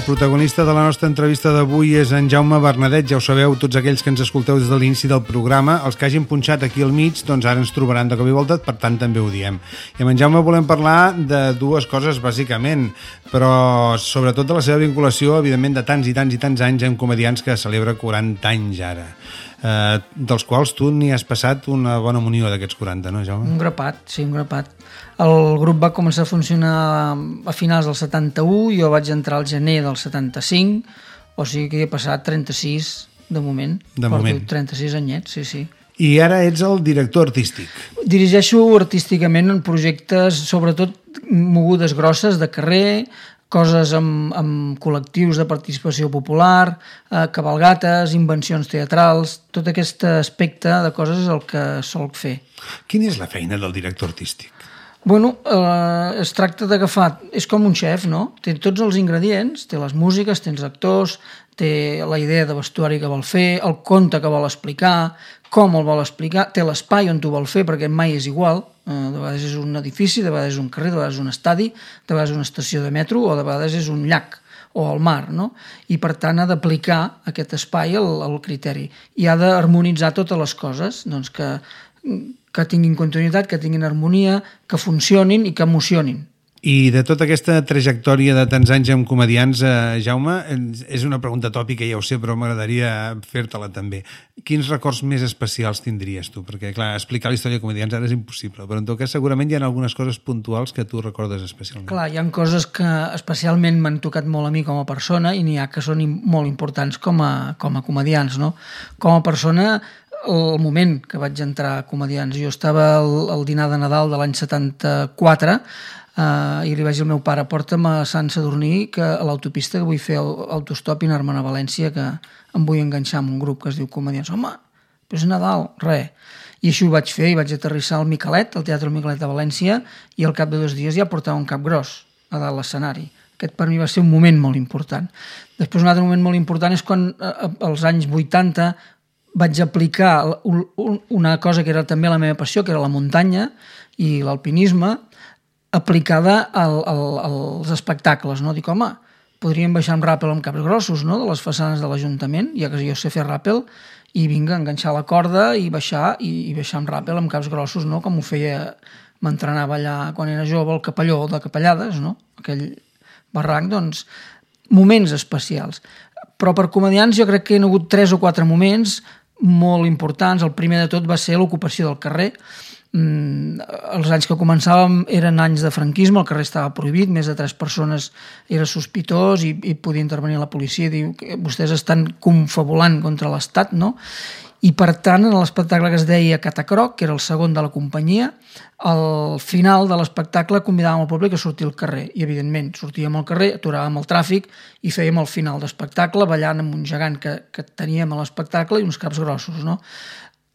protagonista de la nostra entrevista d'avui és en Jaume Bernadet. Ja ho sabeu, tots aquells que ens escolteu des de l'inici del programa, els que hagin punxat aquí al mig, doncs ara ens trobaran de cop i volta, per tant també ho diem. I amb en Jaume volem parlar de dues coses, bàsicament, però sobretot de la seva vinculació, evidentment, de tants i tants i tants anys amb comedians que celebra 40 anys ara. Dels quals tu n'hi has passat una bona munió d'aquests 40, no, Jaume? Un grapat, sí, un grapat. El grup va començar a funcionar a finals del 71, jo vaig entrar al gener del 75, o sigui que he passat 36 de moment. De moment. 36 anyets, sí, sí. I ara ets el director artístic. Dirigeixo artísticament en projectes, sobretot mogudes grosses de carrer, coses amb col·lectius de participació popular, cabalgates, invencions teatrals, tot aquest aspecte de coses és el que solc fer. Quina és la feina del director artístic? Bueno, es tracta d'agafar... És com un xef, no? Té tots els ingredients, té les músiques, té els actors, té la idea de vestuari que vol fer, el conte que vol explicar, com el vol explicar, té l'espai on ho vol fer, perquè mai és igual. De vegades és un edifici, de vegades és un carrer, de vegades és un estadi, de vegades és una estació de metro o de vegades és un llac o el mar, no? I per tant ha d'aplicar aquest espai al criteri i ha d'harmonitzar totes les coses, doncs que tinguin continuïtat, que tinguin harmonia, que funcionin i que emocionin. I de tota aquesta trajectòria de tants anys amb comedians, Jaume, és una pregunta tòpica, ja ho sé, però m'agradaria fer-te-la també. Quins records més especials tindries tu? Perquè, clar, explicar la història de comedians ara és impossible, però en tot cas segurament hi ha algunes coses puntuals que tu recordes especialment. Clar, hi ha coses que especialment m'han tocat molt a mi com a persona i n'hi ha que són molt importants com a comedians, no? Com a persona, el moment que vaig entrar a comedians, jo estava al dinar de Nadal de l'any 74 i li vaig dir al meu pare, porta'm a Sant Sadurní a l'autopista que vull fer autostop i anar-me'n a València, que em vull enganxar amb un grup que es diu Comedians. Home, però és Nadal, res. I així ho vaig fer i vaig aterrissar al Micalet, al Teatre Micalet de València, i al cap de 2 dies ja portava un cap gros a dalt l'escenari. Aquest per mi va ser un moment molt important. Després un altre moment molt important és quan als anys 80 vaig aplicar una cosa que era també la meva passió, que era la muntanya i l'alpinisme, aplicada als espectacles, no? Dic, home, podríem baixar amb ràpel amb caps grossos, no?, de les façanes de l'Ajuntament, ja que jo sé fer ràpel, i vinga, enganxar la corda i baixar amb ràpel amb caps grossos, no?, com ho feia, m'entrenava allà quan era jove, el Capelló de Capellades, no?, aquell barranc, doncs, moments especials. Però per comedians jo crec que hi ha hagut 3 o 4 moments molt importants. El primer de tot va ser l'ocupació del carrer. Els anys que començàvem eren anys de franquisme, el carrer estava prohibit, més de 3 persones era sospitós i podia intervenir la policia i dir que vostès estan confabulant contra l'Estat, no? I per tant, en l'espectacle que es deia Catacroc, que era el segon de la companyia, al final de l'espectacle convidàvem el públic a sortir al carrer i evidentment sortíem al carrer, aturàvem el tràfic i fèiem el final d'espectacle ballant amb un gegant que teníem a l'espectacle i uns caps grossos, no?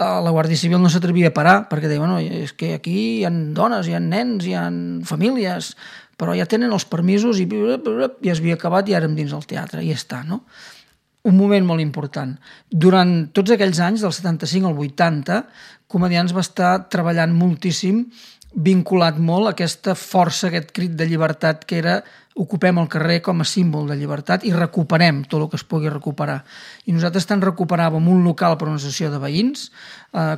La Guàrdia Civil no s'atrevia a parar perquè deia, bueno, és que aquí hi ha dones, hi ha nens, hi ha famílies, però ja tenen els permisos i ja es havia acabat i ara hem dins del teatre, i ja està, no? Un moment molt important. Durant tots aquells anys, del 75 al 80, Comedians va estar treballant moltíssim, vinculat molt a aquesta força, aquest crit de llibertat que era ocupem el carrer com a símbol de llibertat i recuperem tot el que es pugui recuperar. I nosaltres tant recuperàvem un local per una associació de veïns,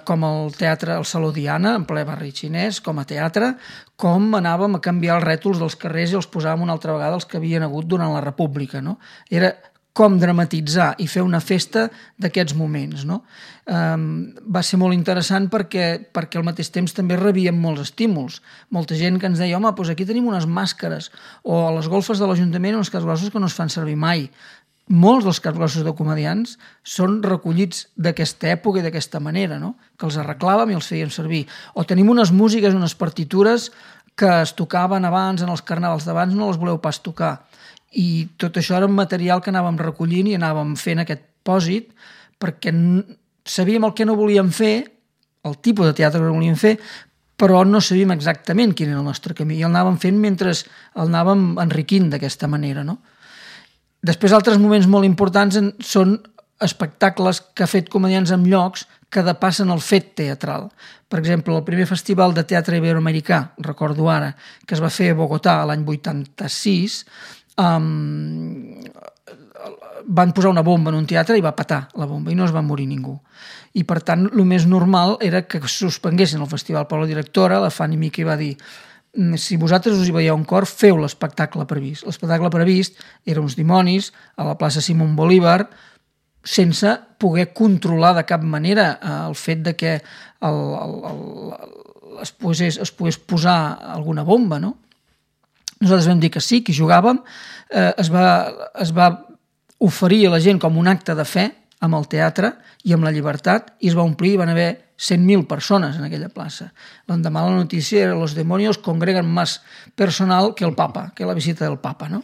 com el teatre, el Saló Diana, en ple barri xinès, com a teatre, com anàvem a canviar els rètols dels carrers i els posàvem una altra vegada els que havien hagut durant la República, no? Era com dramatitzar i fer una festa d'aquests moments, no? Va ser molt interessant perquè al mateix temps també rebíem molts estímuls. Molta gent que ens deia, home, doncs aquí tenim unes màscares, o a les golfes de l'Ajuntament uns caps grossos que no es fan servir mai. Molts dels caps grossos de comedians són recollits d'aquesta època i d'aquesta manera, no? Que els arreglàvem i els fèiem servir. O tenim unes músiques, unes partitures que es tocaven abans, en els carnavals d'abans, no les voleu pas tocar. I tot això era un material que anàvem recollint i anàvem fent aquest pòsit perquè sabíem el que no volíem fer, el tipus de teatre que no volíem fer, però no sabíem exactament quin era el nostre camí i el anàvem fent mentre el anàvem enriquint d'aquesta manera, no? Després, altres moments molt importants són espectacles que ha fet Comedians en llocs que depassen el fet teatral. Per exemple, el primer festival de teatre iberoamericà, recordo ara, que es va fer a Bogotà l'any 86, van posar una bomba en un teatre i va petar la bomba i no es va morir ningú. I per tant, el més normal era que suspenguessin el festival, però la directora, la Fanny Mickey, va dir: si vosaltres us hi veieu un cor, feu l'espectacle previst. L'espectacle previst era uns dimonis a la plaça Simón Bolívar, sense poder controlar de cap manera el fet de que es pogués posar alguna bomba, no? Nosaltres vam dir que sí, que hi jugàvem, es va oferir a la gent com un acte de fe amb el teatre i amb la llibertat, i es va omplir, i van haver 100.000 persones en aquella plaça. L'endemà la notícia era: los demonios congregan más personal que el Papa, que la visita del Papa, no?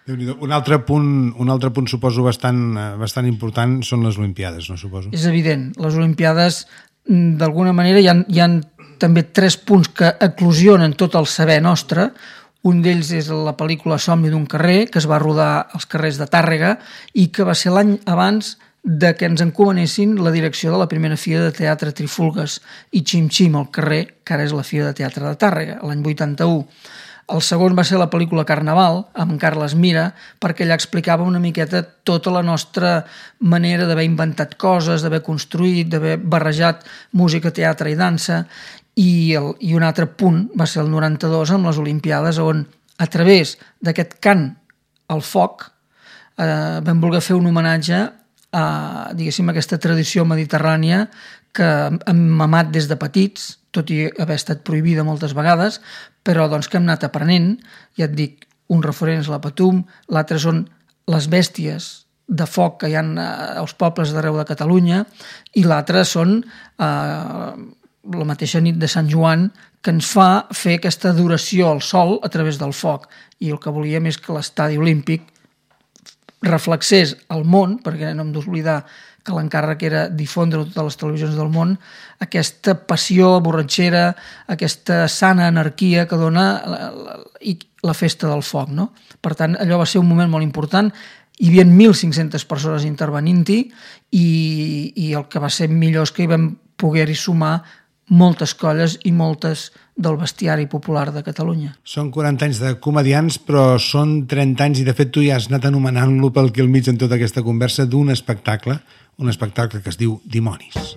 Un altre punt suposo bastant important són les Olimpiades, no suposo? És evident. Les Olimpiades, d'alguna manera, hi ha també 3 punts que eclosionen tot el saber nostre. Un d'ells és la pel·lícula Somni d'un carrer, que es va rodar als carrers de Tàrrega i que va ser l'any abans de que ens encomanessin la direcció de la primera Fira de Teatre Trifulgues i Xim Xim al carrer, que ara és la Fira de Teatre de Tàrrega, l'any 81. El segon va ser la pel·lícula Carnaval, amb Carles Mira, perquè allà explicava una miqueta tota la nostra manera d'haver inventat coses, d'haver construït, d'haver barrejat música, teatre i dansa. I un altre punt va ser el 92 amb les Olimpiades, on a través d'aquest cant al foc vam voler fer un homenatge a, diguéssim, aquesta tradició mediterrània que hem mamat des de petits, tot i haver estat prohibida moltes vegades, però doncs que hem anat aprenent. Ja et dic, un referent és la Patum, l'altre són les bèsties de foc que hi ha als pobles d'arreu de Catalunya, i l'altre són la mateixa nit de Sant Joan, que ens fa fer aquesta adoració al sol a través del foc. I el que volíem és que l'estadi olímpic reflexés al món, perquè no hem d'oblidar que l'encàrrec era difondre a totes les televisions del món aquesta passió borratxera, aquesta sana anarquia que dona la festa del foc, no? Per tant, allò va ser un moment molt important. Hi havia 1.500 persones intervenint-hi i el que va ser millor és que hi vam poder-hi sumar moltes colles i moltes del bestiari popular de Catalunya. Són 40 anys de comedians, però són 30 anys, i de fet tu ja has anat anomenant-lo pel que al mig en tota aquesta conversa, d'un espectacle, un espectacle que es diu Dimonis.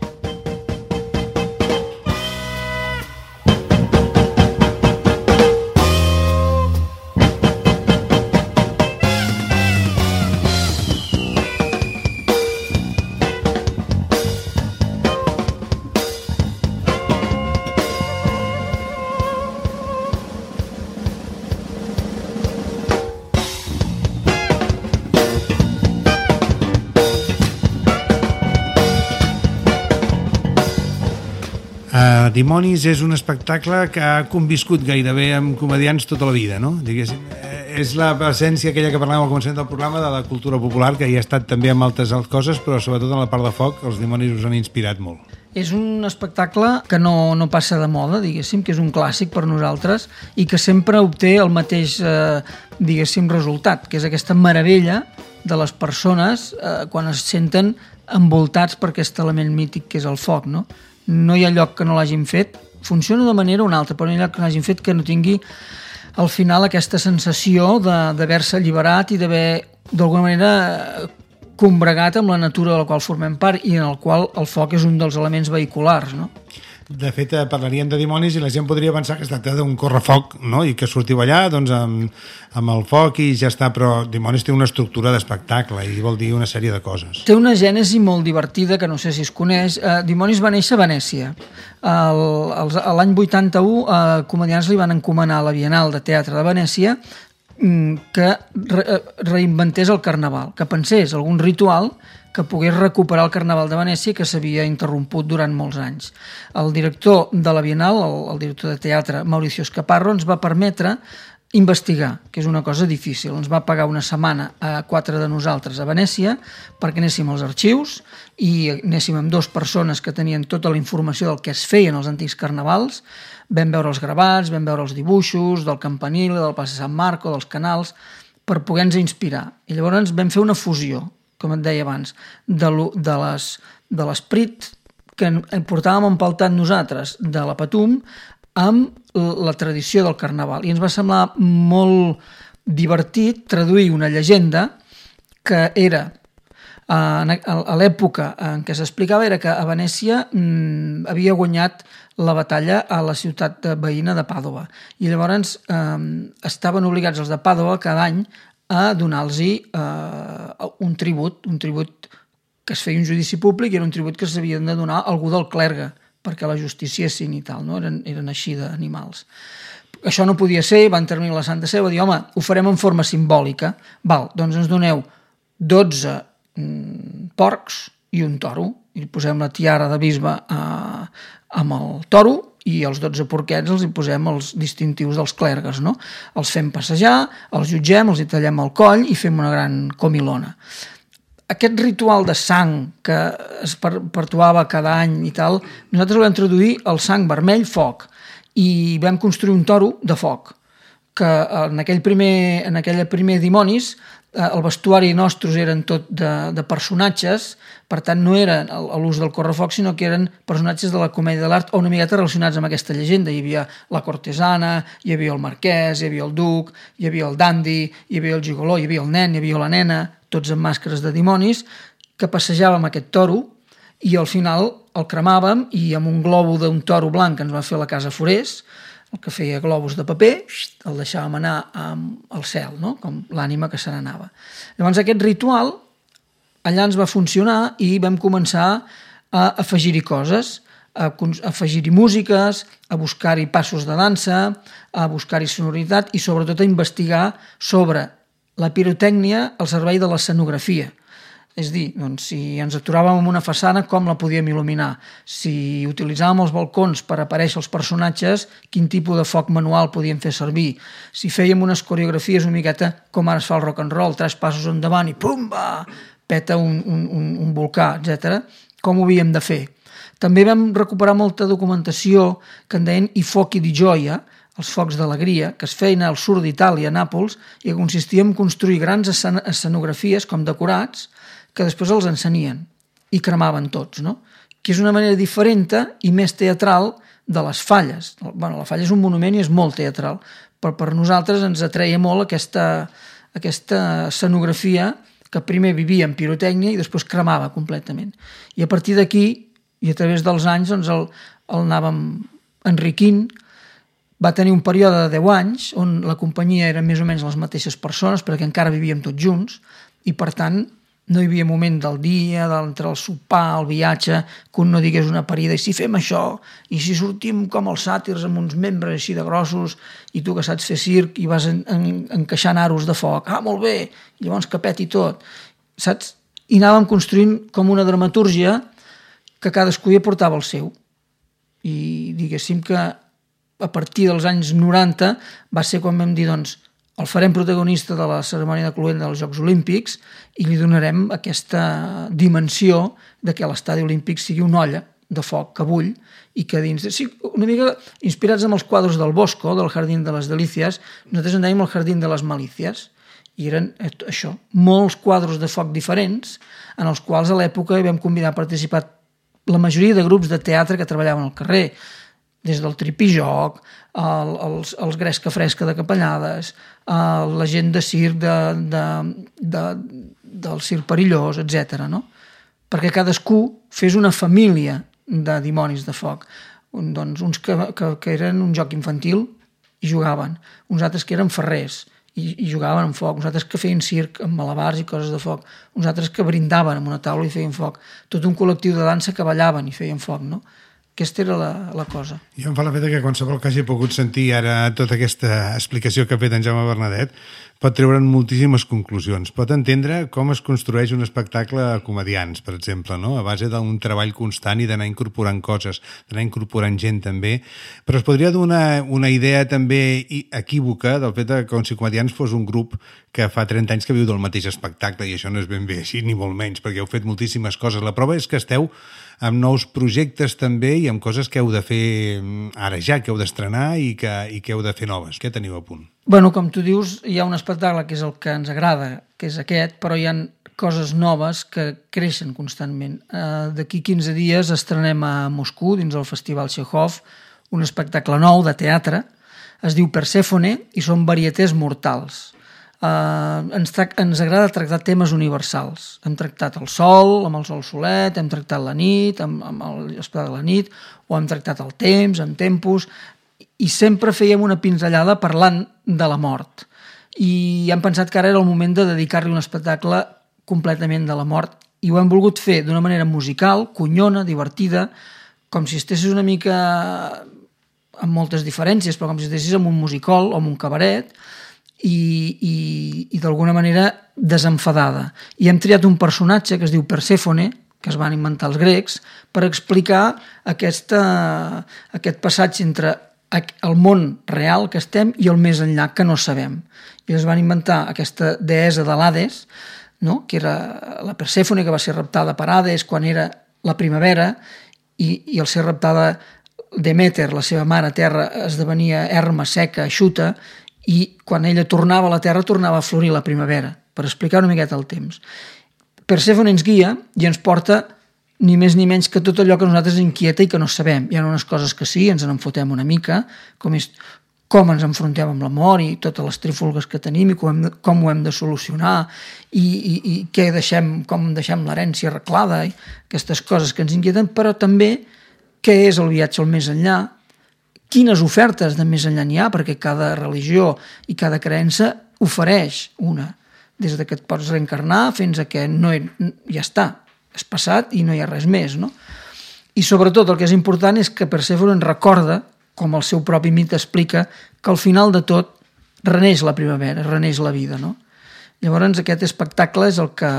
Dimonis és un espectacle que ha conviscut gairebé amb comedians tota la vida, no? Diguéssim, és la presència aquella que parlàvem al començament del programa de la cultura popular, que hi ha estat també amb altres coses, però sobretot en la part de foc els Dimonis us han inspirat molt. És un espectacle que no passa de moda, diguéssim, que és un clàssic per nosaltres i que sempre obté el mateix, diguéssim, resultat, que és aquesta meravella de les persones quan es senten envoltats per aquest element mític que és el foc, no? No hi ha lloc que no l'hagin fet, funciona d'una manera o una altra, però no hi ha lloc que l'hagin fet que no tingui al final aquesta sensació d'haver-se alliberat i d'haver d'alguna manera combregat amb la natura de la qual formem part i en el qual el foc és un dels elements vehiculars, no? De fet, parlaríem de Dimonis i la gent podria pensar que es tracta d'un correfoc, no? I que sortiu allà doncs, amb el foc i ja està, però Dimonis té una estructura d'espectacle i vol dir una sèrie de coses. Té una gènesi molt divertida que no sé si es coneix. Dimonis va néixer a Venècia. L'any 81 comedians li van encomanar a la Bienal de Teatre de Venècia que reinventés el carnaval, que pensés algun ritual que pogués recuperar el Carnaval de Venècia que s'havia interromput durant molts anys. El director de la Bienal, el director de teatre Mauricio Escaparro, ens va permetre investigar, que és una cosa difícil. Ens va pagar una setmana a 4 de nosaltres a Venècia perquè anéssim als arxius i anéssim amb 2 persones que tenien tota la informació del que es feien als antics carnavals. Vam veure els gravats, vam veure els dibuixos del campanil, del Plaça Sant Marco, dels canals, per poder-nos inspirar. I llavors vam fer una fusió, com et deia abans, de l'esperit que portàvem empaltat nosaltres de la Patum amb la tradició del carnaval. I ens va semblar molt divertit traduir una llegenda que era a l'època en què s'explicava era que a Venècia havia guanyat la batalla a la ciutat veïna de Pàdova i llavors estaven obligats els de Pàdova cada any a donar-los un tribut que es feia un judici públic i era un tribut que s'havien de donar a algú del clergue perquè la justiciessin i tal, no? Eren així d'animals. Això no podia ser, va intervenir la Santa Seu, va dir, home, ho farem en forma simbòlica, doncs ens doneu 12 porcs i un toro, i posem la tiara de bisbe amb el toro i els 12 porquets els hi posem els distintius dels clergues, no? Els fem passejar, els jutgem, els hi tallem el coll i fem una gran comilona. Aquest ritual de sang que es perpetuava cada any i tal, nosaltres vam introduir el sang vermell foc i vam construir un toro de foc que en aquell primer Dimonis el vestuari nostres eren tot de personatges, per tant no eren l'ús del correfoc, sinó que eren personatges de la comèdia de l'art o una miqueta relacionats amb aquesta llegenda. Hi havia la cortesana, hi havia el marquès, hi havia el duc, hi havia el dandi, hi havia el gigoló, hi havia el nen, hi havia la nena, tots amb màscares de dimonis, que passejàvem aquest toro i al final el cremàvem i amb un globo d'un toro blanc que ens va fer la casa Forés, el que feia globus de paper, el deixàvem anar al cel, no? Com l'ànima que se n'anava. Llavors aquest ritual allà ens va funcionar i vam començar a afegir-hi coses, a afegir-hi músiques, a buscar-hi passos de dansa, a buscar-hi sonoritat i sobretot a investigar sobre la pirotècnia al servei de l'escenografia. És dir, doncs, si ens aturàvem en una façana, com la podíem il·luminar? Si utilitzàvem els balcons per aparèixer els personatges, quin tipus de foc manual podíem fer servir? Si fèiem unes coreografies una miqueta com ara es fa el rock and roll, 3 passos endavant i pumba, peta un volcà, etc. Com ho havíem de fer? També vam recuperar molta documentació que en deien i fochi di gioia, els focs d'alegria, que es feien al sud d'Itàlia, a Nàpols, i que consistia en construir grans escenografies com decorats que després els encenien i cremaven tots, no? Que és una manera diferent i més teatral de les falles. La falla és un monument i és molt teatral, però per nosaltres ens atreia molt aquesta escenografia que primer vivia en pirotècnia i després cremava completament. I a partir d'aquí, i a través dels anys, doncs el anàvem enriquint. Va tenir un període de 10 anys on la companyia eren més o menys les mateixes persones perquè encara vivíem tots junts i per tant no hi havia moment del dia, entre el sopar, el viatge, que un no digués una parida, i si fem això, i si sortim com els sàtirs amb uns membres així de grossos, i tu que saps fer circ i vas encaixant aros de foc, molt bé, i llavors que peti tot, saps? I anàvem construint com una dramatúrgia que cadascú hi aportava el seu. I diguéssim que a partir dels anys 90 va ser quan vam dir, doncs, el farem protagonista de la cerimònia de cloenda dels Jocs Olímpics i li donarem aquesta dimensió de que l'estadi olímpic sigui una olla de foc que bull i que dins... Sí, una mica inspirats amb els quadres del Bosco, del Jardín de les Delícies, nosaltres en dèiem el Jardín de les Malícies i eren això, molts quadres de foc diferents en els quals a l'època vam convidar a participar la majoria de grups de teatre que treballaven al carrer, des del tripijoc, els Gresca Fresca de Capellades, la gent de circ del circ perillós, etc. No? Perquè cadascú fes una família de dimonis de foc. Doncs uns que eren un joc infantil i jugaven, uns altres que eren ferrers i jugaven amb foc, uns altres que feien circ amb malabars i coses de foc, uns altres que brindaven amb una taula i feien foc, tot un col·lectiu de dansa que ballaven i feien foc, no? Aquesta era la cosa. Jo em fa la feta que qualsevol que hagi pogut sentir ara tota aquesta explicació que ha fet en Jaume Bernadet pot treure'n moltíssimes conclusions. Pot entendre com es construeix un espectacle a comedians, per exemple, no? A base d'un treball constant i d'anar incorporant coses, d'anar incorporant gent també, però es podria donar una idea també equívoca del fet que com si comedians fos un grup que fa 30 anys que viu del mateix espectacle i això no és ben bé així, ni molt menys, perquè heu fet moltíssimes coses. La prova és que esteu amb nous projectes també i amb coses que heu de fer ara ja, que heu d'estrenar i que heu de fer noves. Què teniu a punt? Bueno, com tu dius, hi ha un espectacle que és el que ens agrada, que és aquest, però hi ha coses noves que creixen constantment. D'aquí 15 dies estrenem a Moscou, dins el Festival Chekhov, un espectacle nou de teatre, es diu Persèfone i són varietés mortals. ens agrada tractar temes universals. Hem tractat el sol, amb el sol solet, hem tractat la nit, amb l'espectacle de la nit, o hem tractat el temps, amb tempos, i sempre fèiem una pinzellada parlant de la mort. I hem pensat que ara era el moment de dedicar-li un espectacle completament de la mort, i ho hem volgut fer d'una manera musical, conyona, divertida, com si estessis una mica amb moltes diferències, però com si estessis en un musical o en un cabaret, i d'alguna manera desenfadada. I hem triat un personatge que es diu Persèfone, que es van inventar els grecs, per explicar aquest passatge entre el món real que estem i el més enllà que no sabem. I es van inventar aquesta deessa de l'Hades, no? Que era la Persèfone, que va ser raptada per Hades quan era la primavera, i al ser raptada Deméter, la seva mare terra, esdevenia erma, seca, eixuta, i quan ella tornava a la terra tornava a florir la primavera, per explicar una miqueta el temps. Persèfone ens guia i ens porta ni més ni menys que tot allò que a nosaltres inquieta i que no sabem. Hi ha unes coses que sí, ens en fotem una mica, com ens enfrontem amb la mort i totes les trífolgues que tenim i com ho hem de solucionar i què deixem, com deixem l'herència arreglada i aquestes coses que ens inquieten, però també què és el viatge al més enllà, quines ofertes de més enllà n'hi ha, perquè cada religió i cada creença ofereix una, des que et pots reencarnar fins a que ja està, és passat i no hi ha res més, no? I sobretot el que és important és que Persèfone ens recorda, com el seu propi mite explica, que al final de tot reneix la primavera, reneix la vida, no? Llavors aquest espectacle és el que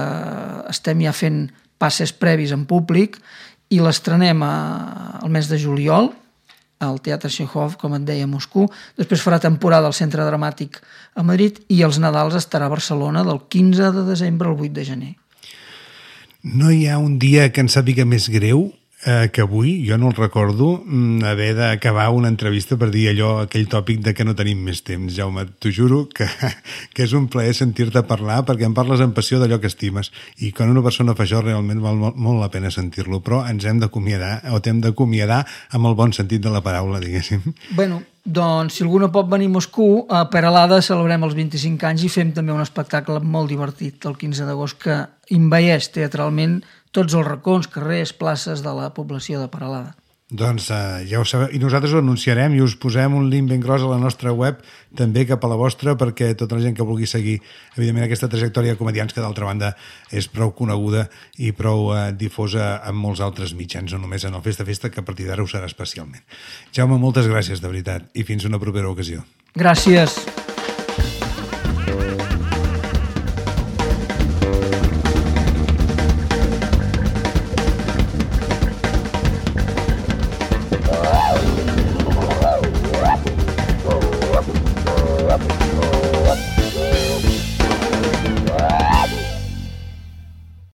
estem ja fent passes previs en públic i l'estrenem al mes de juliol al Teatre Chekhov, com et deia, a Moscou. Després farà temporada al Centre Dramàtic a Madrid i els Nadals estarà a Barcelona del 15 de desembre al 8 de gener. No hi ha un dia que ens sàpiga més greu que avui, jo no el recordo, haver d'acabar una entrevista per dir aquell tòpic de que no tenim més temps. Jaume, t'ho juro que és un plaer sentir-te parlar, perquè em parles amb passió d'allò que estimes, i quan una persona fa això realment val molt la pena sentir-lo, però ens hem d'acomiadar, o t'hem d'acomiadar amb el bon sentit de la paraula, diguéssim. Bueno, doncs si algú no pot venir a Moscou, a Peralada celebrem els 25 anys i fem també un espectacle molt divertit el 15 d'agost que envaeix teatralment tots els racons, carrers, places de la població de Peralada. Doncs ja ho sabeu, i nosaltres ho anunciarem i us posem un link ben gros a la nostra web, també cap a la vostra, perquè tota la gent que vulgui seguir, evidentment, aquesta trajectòria de comedians, que d'altra banda és prou coneguda i prou difosa en molts altres mitjans, no només en el Festa, que a partir d'ara ho serà especialment. Jaume, moltes gràcies, de veritat, i fins una propera ocasió. Gràcies.